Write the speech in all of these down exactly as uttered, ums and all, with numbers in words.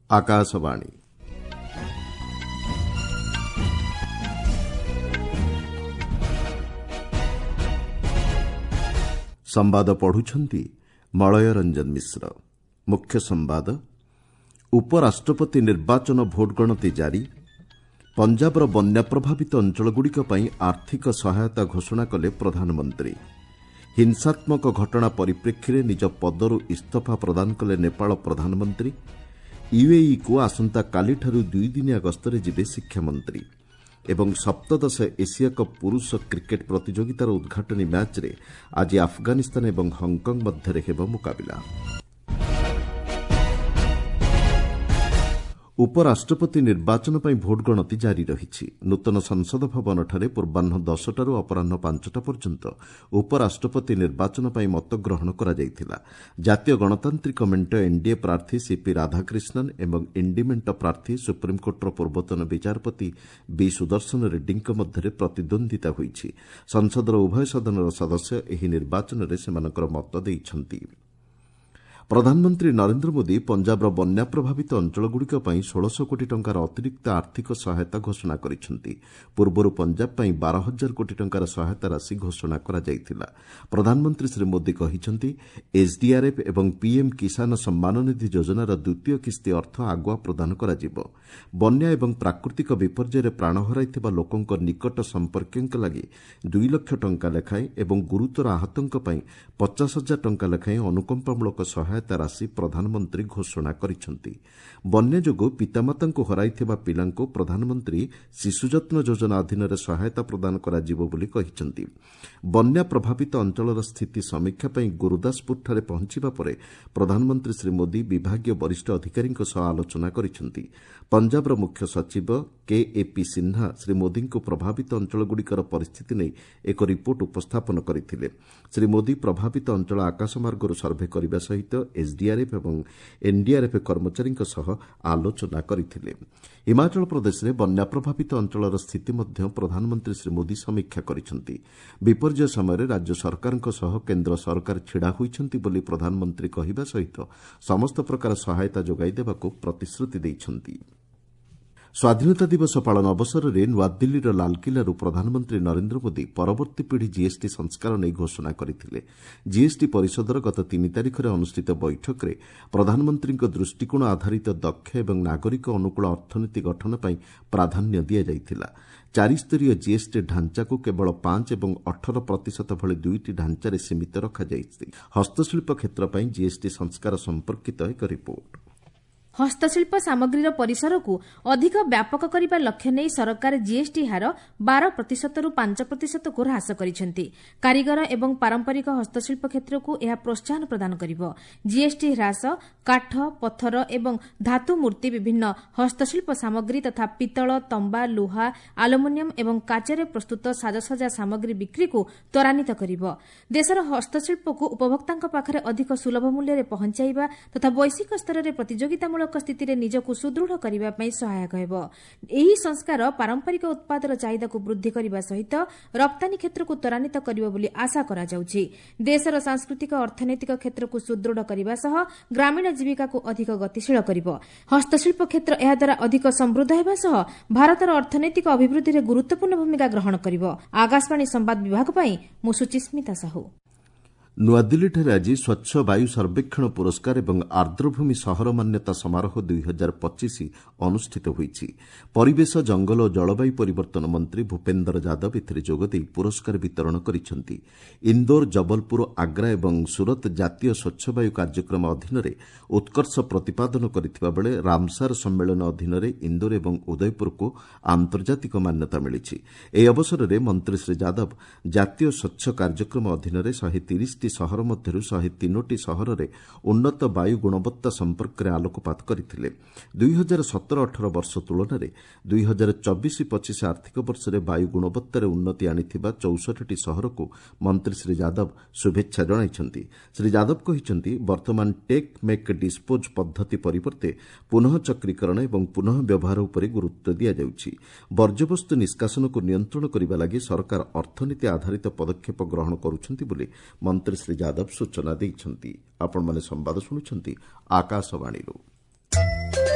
ଆକାଶବାଣୀ। ସମ୍ବାଦ ପଢୁଛନ୍ତି ମଳୟ ରଞ୍ଜନ ମିଶ୍ର। ମୁଖ୍ୟ ସମ୍ବାଦ, ଉପରାଷ୍ଟ୍ରପତି ନିର୍ବାଚନ ଭୋଟ ଗଣତି ଜାରି। ପଞ୍ଜାବର ବନ୍ୟା ପ୍ରଭାବିତ ଅଞ୍ଚଳଗୁଡ଼ିକ ପାଇଁ ଆର୍ଥିକ ସହାୟତା ଘୋଷଣା କଲେ ପ୍ରଧାନମନ୍ତ୍ରୀ। ହିଂସାତ୍ମକ ଘଟଣା ପରିପ୍ରେକ୍ଷୀରେ ନିଜ ପଦରୁ ଇସ୍ତଫା ପ୍ରଦାନ କଲେ ନେପାଳ ପ୍ରଧାନମନ୍ତ୍ରୀ। ୟୁଏଇକୁ ଆସନ୍ତାକାଲିଠାରୁ ଦୁଇଦିନିଆ ଗସ୍ତରେ ଯିବେ ଶିକ୍ଷାମନ୍ତ୍ରୀ। ଏବଂ ସପ୍ତଦଶ ଏସିଆ କପ୍ ପୁରୁଷ କ୍ରିକେଟ୍ ପ୍ରତିଯୋଗିତାର ଉଦ୍ଘାଟନୀ ମ୍ୟାଚ୍ରେ ଆଜି ଆଫଗାନିସ୍ତାନ ଏବଂ ହଂକଂ ମଧ୍ୟରେ ହେବ ମୁକାବିଲା। ଉପରାଷ୍ଟ୍ରପତି ନିର୍ବାଚନ ପାଇଁ ଭୋଟ ଗଣତି ଜାରି ରହିଛି। ନୂତନ ସଂସଦ ଭବନଠାରେ ପୂର୍ବାହ୍ନ ଦଶଟାରୁ ଅପରାହ୍ନ ପାଞ୍ଚଟା ପର୍ଯ୍ୟନ୍ତ ଉପରାଷ୍ଟ୍ରପତି ନିର୍ବାଚନ ପାଇଁ ମତଗ୍ରହଣ କରାଯାଇଥିଲା। ଜାତୀୟ ଗଣତାନ୍ତ୍ରିକ ମେଣ୍ଟ ଏନ୍ଡିଏ ପ୍ରାର୍ଥୀ ସିପି ରାଧାକ୍ରିଷ୍ଣନ୍ ଏବଂ ଇଣ୍ଡି ମେଣ୍ଟ ପ୍ରାର୍ଥୀ ସୁପ୍ରିମକୋର୍ଟର ପୂର୍ବତନ ବିଚାରପତି ବି ସୁଦର୍ଶନ ରେଡ୍ଡୀଙ୍କ ମଧ୍ୟରେ ପ୍ରତିଦ୍ୱନ୍ଦ୍ୱିତା ହୋଇଛି। ସଂସଦର ଉଭୟ ସଦନର ସଦସ୍ୟ ଏହି ନିର୍ବାଚନରେ ସେମାନଙ୍କର ମତ ଦେଇଛନ୍ତି। ପ୍ରଧାନମନ୍ତ୍ରୀ ନରେନ୍ଦ୍ର ମୋଦି ପଞ୍ଜାବର ବନ୍ୟା ପ୍ରଭାବିତ ଅଞ୍ଚଳଗୁଡ଼ିକ ପାଇଁ ଷୋଳଶହ କୋଟି ଟଙ୍କାର ଅତିରିକ୍ତ ଆର୍ଥିକ ସହାୟତା ଘୋଷଣା କରିଛନ୍ତି। ପୂର୍ବରୁ ପଞ୍ଜାବ ପାଇଁ ବାର ହଜାର କୋଟି ଟଙ୍କାର ସହାୟତା ରାଶି ଘୋଷଣା କରାଯାଇଥିଲା। ପ୍ରଧାନମନ୍ତ୍ରୀ ଶ୍ରୀ ମୋଦି କହିଛନ୍ତି, ଏସ୍ଡିଆର୍ଏଫ୍ ଏବଂ ପିଏମ୍ କିଷାନ ସମ୍ମାନ ନିଧି ଯୋଜନାର ଦ୍ୱିତୀୟ କିସ୍ତି ଅର୍ଥ ଆଗୁଆ ପ୍ରଦାନ କରାଯିବ। ବନ୍ୟା ଏବଂ ପ୍ରାକୃତିକ ବିପର୍ଯ୍ୟୟରେ ପ୍ରାଣ ହରାଇଥିବା ଲୋକଙ୍କ ନିକଟ ସମ୍ପର୍କୀୟଙ୍କ ଲାଗି ଦୁଇ ଲକ୍ଷ ଟଙ୍କା ଲେଖାଏଁ ଏବଂ ଗୁରୁତର ଆହତଙ୍କ ପାଇଁ ପଚାଶ ହଜାର ଟଙ୍କା ଲେଖାଏଁ ଅନୁକମ୍ପାମୂଳକ ସହାୟତା ରାଶି ପ୍ରଧାନମନ୍ତ୍ରୀ ଘୋଷଣା କରିଛନ୍ତି। ବନ୍ୟା ଯୋଗୁଁ ପିତାମାତାଙ୍କୁ ହରାଇଥିବା ପିଲାଙ୍କୁ ପ୍ରଧାନମନ୍ତ୍ରୀ ଶିଶୁ ଯତ୍ନ ଯୋଜନା ଅଧୀନରେ ସହାୟତା ପ୍ରଦାନ କରାଯିବ ବୋଲି କହିଛନ୍ତି। ବନ୍ୟା ପ୍ରଭାବିତ ଅଞ୍ଚଳର ସ୍ଥିତି ସମୀକ୍ଷା ପାଇଁ ଗୁରୁଦାସପୁରଠାରେ ପହଞ୍ଚିବା ପରେ ପ୍ରଧାନମନ୍ତ୍ରୀ ଶ୍ରୀ ମୋଦି ବିଭାଗୀୟ ବରିଷ୍ଠ ଅଧିକାରୀଙ୍କ ସହ ଆଲୋଚନା କରିଛନ୍ତି। ପଞ୍ଜାବର ମୁଖ୍ୟ ସଚିବ କେ ଏ ପି ସିହ୍ନା ଶ୍ରୀ ମୋଦିଙ୍କୁ ପ୍ରଭାବିତ ଅଞ୍ଚଳଗୁଡ଼ିକର ପରିସ୍ଥିତି ନେଇ ଏକ ରିପୋର୍ଟ ଉପସ୍ଥାପନ କରିଥିଲେ। ଶ୍ରୀ ମୋଦି ପ୍ରଭାବିତ ଅଞ୍ଚଳ ଆକାଶମାର୍ଗରୁ ସର୍ଭେ କରିବା ସହିତ ଏସ୍ଡିଆର୍ଏଫ୍ ଏବଂ ଏନ୍ଡିଆର୍ଏଫ୍ କର୍ମଚାରୀଙ୍କ ସହ ଆଲୋଚନା କରିଥିଲେ। ହିମାଚଳ ପ୍ରଦେଶରେ ବନ୍ୟା ପ୍ରଭାବିତ ଅଞ୍ଚଳର ସ୍ଥିତି ମଧ୍ୟ ପ୍ରଧାନମନ୍ତ୍ରୀ ଶ୍ରୀ ମୋଦି ସମୀକ୍ଷା କରିଛନ୍ତି। ବିପର୍ଯ୍ୟୟ ସମୟରେ ରାଜ୍ୟ ସରକାରଙ୍କ ସହ କେନ୍ଦ୍ର ସରକାର ଛିଡ଼ା ହୋଇଛନ୍ତି ବୋଲି ପ୍ରଧାନମନ୍ତ୍ରୀ କହିବା ସହିତ ସମସ୍ତ ପ୍ରକାର ସହାୟତା ଯୋଗାଇ ଦେବାକୁ ପ୍ରତିଶ୍ରୁତି ଦେଇଛନ୍ତି। ସ୍ୱାଧୀନତା ଦିବସ ପାଳନ ଅବସରରେ ନୂଆଦିଲ୍ଲୀର ଲାଲକିଲ୍ଲାରୁ ପ୍ରଧାନମନ୍ତ୍ରୀ ନରେନ୍ଦ୍ର ମୋଦି ପରବର୍ତ୍ତୀ ପିଢ଼ି ଜିଏସ୍ଟି ସଂସ୍କାର ନେଇ ଘୋଷଣା କରିଥିଲେ। ଜିଏସ୍ଟି ପରିଷଦର ଗତ ତିନି ତାରିଖରେ ଅନୁଷ୍ଠିତ ବୈଠକରେ ପ୍ରଧାନମନ୍ତ୍ରୀଙ୍କ ଦୃଷ୍ଟିକୋଣ ଆଧାରିତ ଦକ୍ଷ ଏବଂ ନାଗରିକ ଅନୁକୂଳ ଅର୍ଥନୀତି ଗଠନ ପାଇଁ ପ୍ରାଧାନ୍ୟ ଦିଆଯାଇଥିଲା। ଚାରିସ୍ତରୀୟ ଜିଏସ୍ଟି ଢାଞ୍ଚାକୁ କେବଳ ପାଞ୍ଚ ଏବଂ ଅଠର ପ୍ରତିଶତ ଭଳି ଦୁଇଟି ଢାଞ୍ଚାରେ ସୀମିତ ରଖାଯାଇଛି। ହସ୍ତଶିଳ୍ପ କ୍ଷେତ୍ର ପାଇଁ ଜିଏସ୍ଟି ସଂସ୍କାର ସମ୍ପର୍କିତ ଏକ ରିପୋର୍ଟ। ହସ୍ତଶିଳ୍ପ ସାମଗ୍ରୀର ପରିସରକୁ ଅଧିକ ବ୍ୟାପକ କରିବା ଲକ୍ଷ୍ୟ ନେଇ ସରକାର ଜିଏସ୍ଟି ହାର ବାର ପ୍ରତିଶତରୁ ପାଞ୍ଚ ପ୍ରତିଶତକୁ ହ୍ରାସ କରିଛନ୍ତି। କାରିଗର ଏବଂ ପାରମ୍ପରିକ ହସ୍ତଶିଳ୍ପ କ୍ଷେତ୍ରକୁ ଏହା ପ୍ରୋତ୍ସାହନ ପ୍ରଦାନ କରିବ। ଜିଏସ୍ଟି ହ୍ରାସ କାଠ, ପଥର ଏବଂ ଧାତୁ ମୂର୍ତ୍ତି, ବିଭିନ୍ନ ହସ୍ତଶିଳ୍ପ ସାମଗ୍ରୀ ତଥା ପିତ୍ତଳ, ତମ୍ବା, ଲୁହା, ଆଲୁମିନିୟମ ଏବଂ କାଚରେ ପ୍ରସ୍ତୁତ ସାଜସଜ୍ଜା ସାମଗ୍ରୀ ବିକ୍ରିକୁ ତ୍ୱରାନ୍ୱିତ କରିବ। ଦେଶର ହସ୍ତଶିଳ୍ପକୁ ଉପଭୋକ୍ତାଙ୍କ ପାଖରେ ଅଧିକ ସୁଲଭ ମୂଲ୍ୟରେ ପହଞ୍ଚାଇବା ତଥା ବୈଶ୍ୱିକ ସ୍ତରରେ ପ୍ରତିଯୋଗିତାମୂଳକ ସ୍ଥିତିରେ ନିଜକୁ ସୁଦୃଢ଼ କରିବା ପାଇଁ ସହାୟକ ହେବ। ଏହି ସଂସ୍କାର ପାରମ୍ପରିକ ଉତ୍ପାଦର ଚାହିଦାକୁ ବୃଦ୍ଧି କରିବା ସହିତ ରପ୍ତାନୀ କ୍ଷେତ୍ରକୁ ତ୍ୱରାନ୍ୱିତ କରିବ ବୋଲି ଆଶା କରାଯାଉଛି। ଦେଶର ସାଂସ୍କୃତିକ ଅର୍ଥନୈତିକ କ୍ଷେତ୍ରକୁ ସୁଦୃଢ଼ କରିବା ସହ ଗ୍ରାମୀଣ ଜୀବିକାକୁ ଅଧିକ ଗତିଶୀଳ କରିବ। ହସ୍ତଶିଳ୍ପ କ୍ଷେତ୍ର ଏହାଦ୍ୱାରା ଅଧିକ ସମୃଦ୍ଧ ହେବା ସହ ଭାରତର ଅର୍ଥନୈତିକ ଅଭିବୃଦ୍ଧିରେ ଗୁରୁତ୍ୱପୂର୍ଣ୍ଣ ଭୂମିକା ଗ୍ରହଣ କରିବ। ଆକାଶବାଣୀ ସମ୍ବାଦ ବିଭାଗ ପାଇଁ ମୁଁ ସୁଚିସ୍ମିତା ସାହୁ। ନୂଆଦିଲ୍ଲୀଠାରେ ଆଜି ସ୍ୱଚ୍ଛ ବାୟୁ ସର୍ବେକ୍ଷଣ ପୁରସ୍କାର ଏବଂ ଆର୍ଦ୍ରଭୂମି ସହର ମାନ୍ୟତା ସମାରୋହ ଦୁଇ ହଜାର ପଚିଶ ଅନୁଷ୍ଠିତ ହୋଇଛି। ପରିବେଶ, ଜଙ୍ଗଲ ଓ ଜଳବାୟୁ ପରିବର୍ତ୍ତନ ମନ୍ତ୍ରୀ ଭୂପେନ୍ଦର ଯାଦବ ଏଥିରେ ଯୋଗଦେଇ ପୁରସ୍କାର ବିତରଣ କରିଛନ୍ତି। ଇନ୍ଦୋର, ଜବଲପୁର, ଆଗ୍ରା ଏବଂ ସୁରତ ଜାତୀୟ ସ୍ୱଚ୍ଛ ବାୟୁ କାର୍ଯ୍ୟକ୍ରମ ଅଧୀନରେ ଉତ୍କର୍ଷ ପ୍ରତିପାଦନ କରିଥିବା ବେଳେ ରାମସାର ସମ୍ମେଳନ ଅଧୀନରେ ଇନ୍ଦୋର ଏବଂ ଉଦୟପୁରକୁ ଆନ୍ତର୍ଜାତିକ ମାନ୍ୟତା ମିଳିଛି। ଏହି ଅବସରରେ ମନ୍ତ୍ରୀ ଶ୍ରୀ ଯାଦବ ଜାତୀୟ ସ୍ୱଚ୍ଛ କାର୍ଯ୍ୟକ୍ରମ ଅଧୀନରେ ଶହେ ତିରିଶ ସହର ମଧ୍ୟରୁ ଶହେ ତିନୋଟି ସହରରେ ଉନ୍ନତ ବାୟୁ ଗୁଣବତ୍ତା ସମ୍ପର୍କରେ ଆଲୋକପାତ କରିଥିଲେ। ଦୁଇ ହଜାର ସତର ଅଠର ବର୍ଷ ତୁଳନାରେ ଦୁଇ ହଜାର ଚବିଶ ପଚିଶ ଆର୍ଥିକ ବର୍ଷରେ ବାୟୁ ଗୁଣବତ୍ତାରେ ଉନ୍ନତି ଆଣିଥିବା ଚଉଷଠିଟି ସହରକୁ ମନ୍ତ୍ରୀ ଶ୍ରୀ ଯାଦବ ଶୁଭେଚ୍ଛା ଜଣାଇଛନ୍ତି। ଶ୍ରୀ ଯାଦବ କହିଛନ୍ତି, ବର୍ତ୍ତମାନ ଟେକ୍ ମେକ୍ ଡିସ୍ପୋଜ୍ ପଦ୍ଧତି ପରିବର୍ତ୍ତେ ପୁନଃ ଚକ୍ରୀକରଣ ଏବଂ ପୁନଃ ବ୍ୟବହାର ଉପରେ ଗୁରୁତ୍ୱ ଦିଆଯାଉଛି। ବର୍ଜ୍ୟବସ୍ତୁ ନିଷ୍କାସନକୁ ନିୟନ୍ତ୍ରଣ କରିବା ଲାଗି ସରକାର ଅର୍ଥନୀତି ଆଧାରିତ ପଦକ୍ଷେପ ଗ୍ରହଣ କରୁଛନ୍ତି ବୋଲି ମନ୍ତ୍ରୀ ଶ୍ରୀ ଯାଦବ ସୂଚନା ଦେଇଛନ୍ତି। ଆପଣମାନେ ସମ୍ବାଦ ଶୁଣୁଛନ୍ତି ଆକାଶବାଣୀରୁ।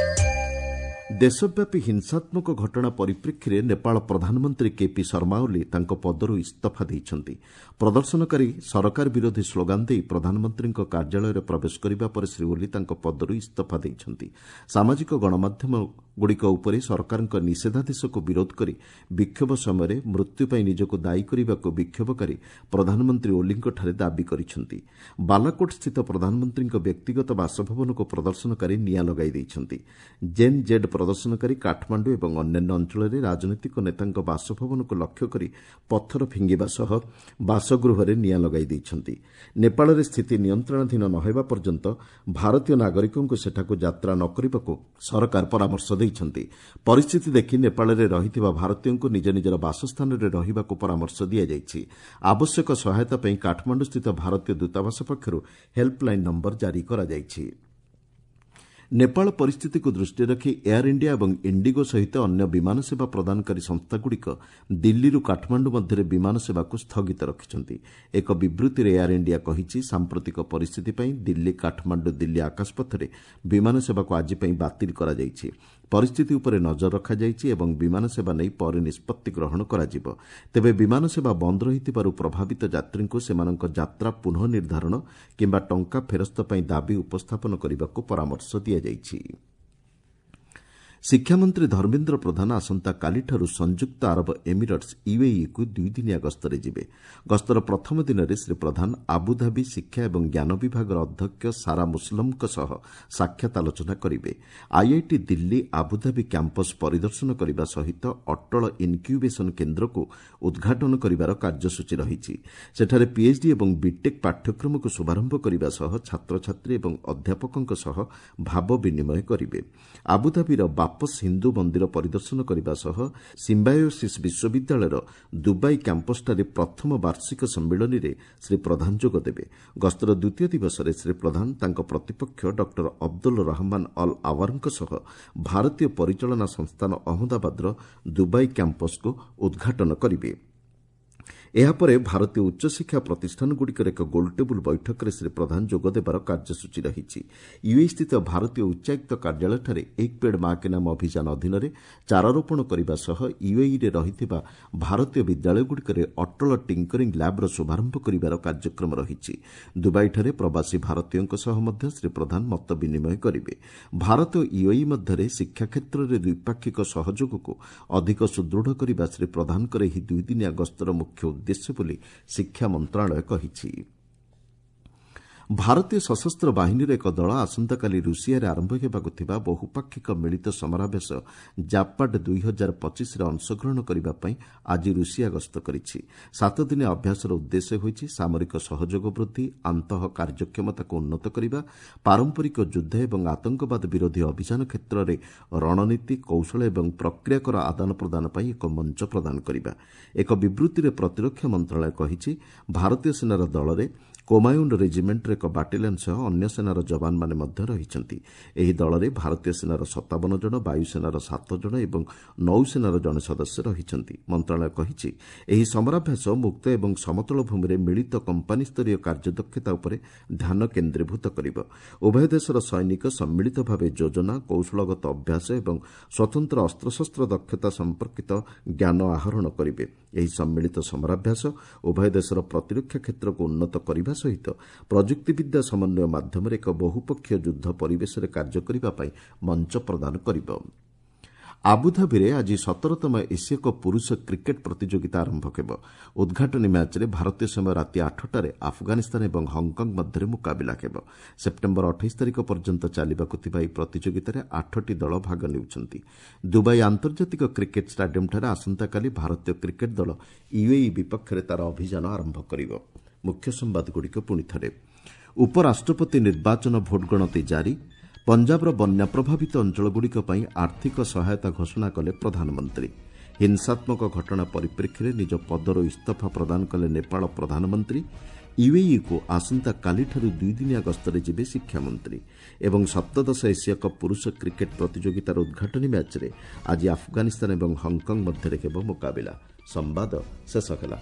ଦେଶବ୍ୟାପୀ ହିଂସାତ୍ମକ ଘଟଣା ପରିପ୍ରେକ୍ଷୀରେ ନେପାଳ ପ୍ରଧାନମନ୍ତ୍ରୀ କେପି ଶର୍ମା ଓଲି ତାଙ୍କ ପଦରୁ ଇସ୍ତଫା ଦେଇଛନ୍ତି। ପ୍ରଦର୍ଶନକାରୀ ସରକାର ବିରୋଧୀ ସ୍ଲୋଗାନ ଦେଇ ପ୍ରଧାନମନ୍ତ୍ରୀଙ୍କ କାର୍ଯ୍ୟାଳୟରେ ପ୍ରବେଶ କରିବା ପରେ ଶ୍ରୀ ଓଲି ତାଙ୍କ ପଦରୁ ଇସ୍ତଫା ଦେଇଛନ୍ତି। ସାମାଜିକ ଗଣମାଧ୍ୟମଗୁଡ଼ିକ ଉପରେ ସରକାରଙ୍କ ନିଷେଧାଦେଶକୁ ବିରୋଧ କରି ବିକ୍ଷୋଭ ସମୟରେ ମୃତ୍ୟୁ ପାଇଁ ନିଜକୁ ଦାୟୀ କରିବାକୁ ବିକ୍ଷୋଭକାରୀ ପ୍ରଧାନମନ୍ତ୍ରୀ ଓଲିଙ୍କଠାରେ ଦାବି କରିଛନ୍ତି। ବାଲାକୋଟ୍ସ୍ଥିତ ପ୍ରଧାନମନ୍ତ୍ରୀଙ୍କ ବ୍ୟକ୍ତିଗତ ବାସଭବନକୁ ପ୍ରଦର୍ଶନକାରୀ ନିଆଁ ଲଗାଇ ଦେଇଛନ୍ତି। ଜେନ୍ ଜେଡ୍ ପ୍ରଦର୍ଶନକାରୀ କାଠମାଣ୍ଡୁ ଏବଂ ଅନ୍ୟାନ୍ୟ ଅଞ୍ଚଳରେ ରାଜନୈତିକ ନେତାଙ୍କ ବାସଭବନକୁ ଲକ୍ଷ୍ୟ କରି ପଥର ଫିଙ୍ଗିବା ସହ ବାସଗୃହରେ ନିଆଁ ଲଗାଇ ଦେଇଛନ୍ତି। ନେପାଳରେ ସ୍ଥିତି ନିୟନ୍ତ୍ରଣାଧୀନ ନ ହେବା ପର୍ଯ୍ୟନ୍ତ ଭାରତୀୟ ନାଗରିକଙ୍କୁ ସେଠାକୁ ଯାତ୍ରା ନ କରିବାକୁ ସରକାର ପରାମର୍ଶ ଦେଇଛନ୍ତି। ପରିସ୍ଥିତି ଦେଖି ନେପାଳରେ ରହିଥିବା ଭାରତୀୟଙ୍କୁ ନିଜ ନିଜର ବାସସ୍ଥାନରେ ରହିବାକୁ ପରାମର୍ଶ ଦିଆଯାଇଛି। ଆବଶ୍ୟକ ସହାୟତା ପାଇଁ କାଠମାଣ୍ଡୁସ୍ଥିତ ଭାରତୀୟ ଦୂତାବାସ ପକ୍ଷରୁ ହେଲ୍ପଲାଇନ୍ ନମ୍ବର ଜାରି କରାଯାଇଛି। ନେପାଳ ପରିସ୍ଥିତିକୁ ଦୃଷ୍ଟିରେ ରଖି ଏୟାର ଇଣ୍ଡିଆ ଏବଂ ଇଣ୍ଡିଗୋ ସହିତ ଅନ୍ୟ ବିମାନ ସେବା ପ୍ରଦାନକାରୀ ସଂସ୍ଥାଗୁଡ଼ିକ ଦିଲ୍ଲୀରୁ କାଠମାଣ୍ଡୁ ମଧ୍ୟରେ ବିମାନ ସେବାକୁ ସ୍ଥଗିତ ରଖିଛନ୍ତି। ଏକ ବିବୃତ୍ତିରେ ଏୟାର ଇଣ୍ଡିଆ କହିଛି, ସାମ୍ପ୍ରତିକ ପରିସ୍ଥିତି ପାଇଁ ଦିଲ୍ଲୀ କାଠମାଣ୍ଡୁ ଦିଲ୍ଲୀ ଆକାଶପଥରେ ବିମାନ ସେବାକୁ ଆଜି ପାଇଁ ବାତିଲ କରାଯାଇଛି। ପରିସ୍ଥିତି ଉପରେ ନଜର ରଖାଯାଇଛି ଏବଂ ବିମାନ ସେବା ନେଇ ପରେ ନିଷ୍ପତ୍ତି ଗ୍ରହଣ କରାଯିବ। ତେବେ ବିମାନ ସେବା ବନ୍ଦ ରହିଥିବାରୁ ପ୍ରଭାବିତ ଯାତ୍ରୀଙ୍କୁ ସେମାନଙ୍କ ଯାତ୍ରା ପୁନଃ ନିର୍ଦ୍ଧାରଣ କିମ୍ବା ଟଙ୍କା ଫେରସ୍ତ ପାଇଁ ଦାବି ଉପସ୍ଥାପନ କରିବାକୁ ପରାମର୍ଶ ଦିଆଯାଇଛି। ଶିକ୍ଷାମନ୍ତ୍ରୀ ଧର୍ମେନ୍ଦ୍ର ପ୍ରଧାନ ଆସନ୍ତାକାଲିଠାରୁ ସଂଯୁକ୍ତ ଆରବ ଏମିରେଟ୍ସ ୟୁଏଇକୁ ଦୁଇଦିନିଆ ଗସ୍ତରେ ଯିବେ। ଗସ୍ତର ପ୍ରଥମ ଦିନରେ ଶ୍ରୀ ପ୍ରଧାନ ଆବୁଧାବି ଶିକ୍ଷା ଏବଂ ଜ୍ଞାନ ବିଭାଗର ଅଧ୍ୟକ୍ଷ ସାରା ମୁସଲମଙ୍କ ସହ ସାକ୍ଷାତ ଆଲୋଚନା କରିବେ। ଆଇଆଇଟି ଦିଲ୍ଲୀ ଆବୁଧାବି କ୍ୟାମ୍ପସ୍ ପରିଦର୍ଶନ କରିବା ସହିତ ଅଟଳ ଇନ୍କ୍ୟୁବେସନ୍ କେନ୍ଦ୍ରକୁ ଉଦ୍ଘାଟନ କରିବାର କାର୍ଯ୍ୟସୂଚୀ ରହିଛି। ସେଠାରେ ପିଏଚ୍ଡି ଏବଂ ବିଟେକ୍ ପାଠ୍ୟକ୍ରମକୁ ଶୁଭାରମ୍ଭ କରିବା ସହ ଛାତ୍ରଛାତ୍ରୀ ଏବଂ ଅଧ୍ୟାପକଙ୍କ ସହ ଭାବ ବିନିମୟ କରିବେ। ଆବୁଧାବିର ବାପସ ହିନ୍ଦୁ ମନ୍ଦିର ପରିଦର୍ଶନ କରିବା ସହ ସିମ୍ବାୟୋସିସ୍ ବିଶ୍ୱବିଦ୍ୟାଳୟର ଦୁବାଇ କ୍ୟାମ୍ପସ୍ଠାରେ ପ୍ରଥମ ବାର୍ଷିକ ସମ୍ମିଳନୀରେ ଶ୍ରୀ ପ୍ରଧାନ ଯୋଗଦେବେ। ଗସ୍ତର ଦ୍ୱିତୀୟ ଦିବସରେ ଶ୍ରୀ ପ୍ରଧାନ ତାଙ୍କ ପ୍ରତିପକ୍ଷ ଡକ୍ଟର ଅବଦୁଲ ରହମାନ ଅଲ୍ ଆୱାରଙ୍କ ସହ ଭାରତୀୟ ପରିଚାଳନା ସଂସ୍ଥାନ ଅହମ୍ମଦାବାଦର ଦୁବାଇ କ୍ୟାମ୍ପସ୍କୁ ଉଦ୍ଘାଟନ କରିବେ। ଏହାପରେ ଭାରତୀୟ ଉଚ୍ଚଶିକ୍ଷା ପ୍ରତିଷ୍ଠାନଗୁଡ଼ିକର ଏକ ଗୋଲଟେବୁଲ୍ ବୈଠକରେ ଶ୍ରୀ ପ୍ରଧାନ ଯୋଗଦେବାର କାର୍ଯ୍ୟସୂଚୀ ରହିଛି। ୟୁଏଇସ୍ଥିତ ଭାରତୀୟ ଉଚ୍ଚାୟୁକ୍ତ କାର୍ଯ୍ୟାଳୟଠାରେ ଏକ ପେଡ୍ ମା କେ ନାମ ଅଭିଯାନ ଅଧୀନରେ ଚାରାରୋପଣ କରିବା ସହ ୟୁଏଇରେ ରହିଥିବା ଭାରତୀୟ ବିଦ୍ୟାଳୟଗୁଡ଼ିକରେ ଅଟଳ ଟିଙ୍କରିଂ ଲ୍ୟାବ୍ର ଶୁଭାରମ୍ଭ କରିବାର କାର୍ଯ୍ୟକ୍ରମ ରହିଛି। ଦୁବାଇଠାରେ ପ୍ରବାସୀ ଭାରତୀୟଙ୍କ ସହ ମଧ୍ୟ ଶ୍ରୀ ପ୍ରଧାନ ମତ ବିନିମୟ କରିବେ। ଭାରତ ଓ ୟୁଏଇ ମଧ୍ୟରେ ଶିକ୍ଷା କ୍ଷେତ୍ରରେ ଦ୍ୱିପାକ୍ଷିକ ସହଯୋଗକୁ ଅଧିକ ସୁଦୃଢ଼ କରିବା ଶ୍ରୀ ପ୍ରଧାନଙ୍କର ଏହି ଦୁଇଦିନିଆ ଗସ୍ତର ମୁଖ୍ୟ ଉଦ୍ଦେଶ୍ୟ ବୋଲି ଶିକ୍ଷା ମନ୍ତ୍ରଣାଳୟ କହିଛି। ଭାରତୀୟ ସଶସ୍ତ୍ର ବାହିନୀର ଏକ ଦଳ ଆସନ୍ତାକାଲି ରୁଷିଆରେ ଆରମ୍ଭ ହେବାକୁ ଥିବା ବହୁପାକ୍ଷିକ ମିଳିତ ସମରାଭ୍ୟାସ ଜାପାଡ୍ ଦୁଇ ହଜାର ପଚିଶରେ ଅଂଶଗ୍ରହଣ କରିବା ପାଇଁ ଆଜି ରୁଷିଆ ଗସ୍ତ କରିଛି। ସାତଦିନିଆ ଅଭ୍ୟାସର ଉଦ୍ଦେଶ୍ୟ ହୋଇଛି ସାମରିକ ସହଯୋଗ ବୃଦ୍ଧି, ଆନ୍ତଃ କାର୍ଯ୍ୟକ୍ଷମତାକୁ ଉନ୍ନତ କରିବା, ପାରମ୍ପରିକ ଯୁଦ୍ଧ ଏବଂ ଆତଙ୍କବାଦ ବିରୋଧୀ ଅଭିଯାନ କ୍ଷେତ୍ରରେ ରଣନୀତି, କୌଶଳ ଏବଂ ପ୍ରକ୍ରିୟାକର ଆଦାନ ପ୍ରଦାନ ପାଇଁ ଏକ ମଞ୍ଚ ପ୍ରଦାନ କରିବା। ଏକ ବିବୃତ୍ତିରେ ପ୍ରତିରକ୍ଷା ମନ୍ତ୍ରଣାଳୟ କହିଛି, ଭାରତୀୟ ସେନାର ଦଳରେ କୋମାୟୁନ୍ ରେଜିମେଣ୍ଟର ଏକ ବାଟାଲିୟନ୍ ସହ ଅନ୍ୟ ସେନାର ଯବାନମାନେ ମଧ୍ୟ ରହିଛନ୍ତି। ଏହି ଦଳରେ ଭାରତୀୟ ସେନାର ସତାବନ ଜଣ, ବାୟୁସେନାର ସାତ ଜଣ ଏବଂ ନୌସେନାର ଜଣେ ସଦସ୍ୟ ରହିଛନ୍ତି। ମନ୍ତ୍ରଣାଳୟ କହିଛି, ଏହି ସମରାଭ୍ୟାସ ମୁକ୍ତ ଏବଂ ସମତଳ ଭୂମିରେ ମିଳିତ କମ୍ପାନୀସ୍ତରୀୟ କାର୍ଯ୍ୟଦକ୍ଷତା ଉପରେ ଧ୍ୟାନ କେନ୍ଦ୍ରୀଭୂତ କରିବ। ଉଭୟ ଦେଶର ସୈନିକ ସମ୍ମିଳିତ ଭାବେ ଯୋଜନା, କୌଶଳଗତ ଅଭ୍ୟାସ ଏବଂ ସ୍ୱତନ୍ତ୍ର ଅସ୍ତ୍ରଶସ୍ତ୍ର ଦକ୍ଷତା ସମ୍ପର୍କିତ ଜ୍ଞାନ ଆହରଣ କରିବେ। ଏହି ସମ୍ମିଳିତ ସମରାଭ୍ୟାସ ଉଭୟ ଦେଶର ପ୍ରତିରକ୍ଷା କ୍ଷେତ୍ରକୁ ଉନ୍ନତ କରିବା ସହିତ ପ୍ରଯୁକ୍ତିବିଦ୍ୟା ସମନ୍ୱୟ ମାଧ୍ୟମରେ ଏକ ବହୁପକ୍ଷୀୟ ଯୁଦ୍ଧ ପରିବେଶରେ କାର୍ଯ୍ୟ କରିବା ପାଇଁ ମଞ୍ଚ ପ୍ରଦାନ କରିବ। ଆବୁଧାବିରେ ଆଜି ସତରତମ ଏସୀୟ କପ୍ ପୁରୁଷ କ୍ରିକେଟ୍ ପ୍ରତିଯୋଗିତା ଆରମ୍ଭ ହେବ। ଉଦ୍ଘାଟନୀ ମ୍ୟାଚ୍ରେ ଭାରତୀୟ ସମୟ ରାତି ଆଠଟାରେ ଆଫଗାନିସ୍ତାନ ଏବଂ ହଂକଂ ମଧ୍ୟରେ ମୁକାବିଲା ହେବ। ସେପ୍ଟେମ୍ବର ଅଠେଇଶ ତାରିଖ ପର୍ଯ୍ୟନ୍ତ ଚାଲିବାକୁ ଥିବା ଏହି ପ୍ରତିଯୋଗିତାରେ ଆଠଟି ଦଳ ଭାଗ ନେଉଛନ୍ତି। ଦୁବାଇ ଆନ୍ତର୍ଜାତିକ କ୍ରିକେଟ୍ ଷ୍ଟାଡିୟମ୍ଠାରେ ଆସନ୍ତାକାଲି ଭାରତୀୟ କ୍ରିକେଟ୍ ଦଳ ୟୁଏଇ ବିପକ୍ଷରେ ତା'ର ଅଭିଯାନ ଆରମ୍ଭ କରିବ। ମୁଖ୍ୟ ସମ୍ବାଦଗୁଡ଼ିକ ପୁଣିଥରେ। ଉପରାଷ୍ଟ୍ରପତି ନିର୍ବାଚନ ଭୋଟ ଗଣତି ଜାରି। ପଞ୍ଜାବର ବନ୍ୟା ପ୍ରଭାବିତ ଅଞ୍ଚଳଗୁଡ଼ିକ ପାଇଁ ଆର୍ଥିକ ସହାୟତା ଘୋଷଣା କଲେ ପ୍ରଧାନମନ୍ତ୍ରୀ। ହିଂସାତ୍ମକ ଘଟଣା ପରିପ୍ରେକ୍ଷୀରେ ନିଜ ପଦରୁ ଇସ୍ତଫା ପ୍ରଦାନ କଲେ ନେପାଳ ପ୍ରଧାନମନ୍ତ୍ରୀ। ୟୁଏଇକୁ ଆସନ୍ତାକାଲିଠାରୁ ଦୁଇଦିନିଆ ଗସ୍ତରେ ଯିବେ ଶିକ୍ଷାମନ୍ତ୍ରୀ। ଏବଂ ସପ୍ତଦଶ ଏସିଆ କପ୍ ପୁରୁଷ କ୍ରିକେଟ୍ ପ୍ରତିଯୋଗିତାର ଉଦ୍ଘାଟନୀ ମ୍ୟାଚ୍ରେ ଆଜି ଆଫଗାନିସ୍ତାନ ଏବଂ ହଂକଂ ମଧ୍ୟରେ ହେବ ମୁକାବିଲା। ସମ୍ବାଦ ଶେଷ ହେଲା।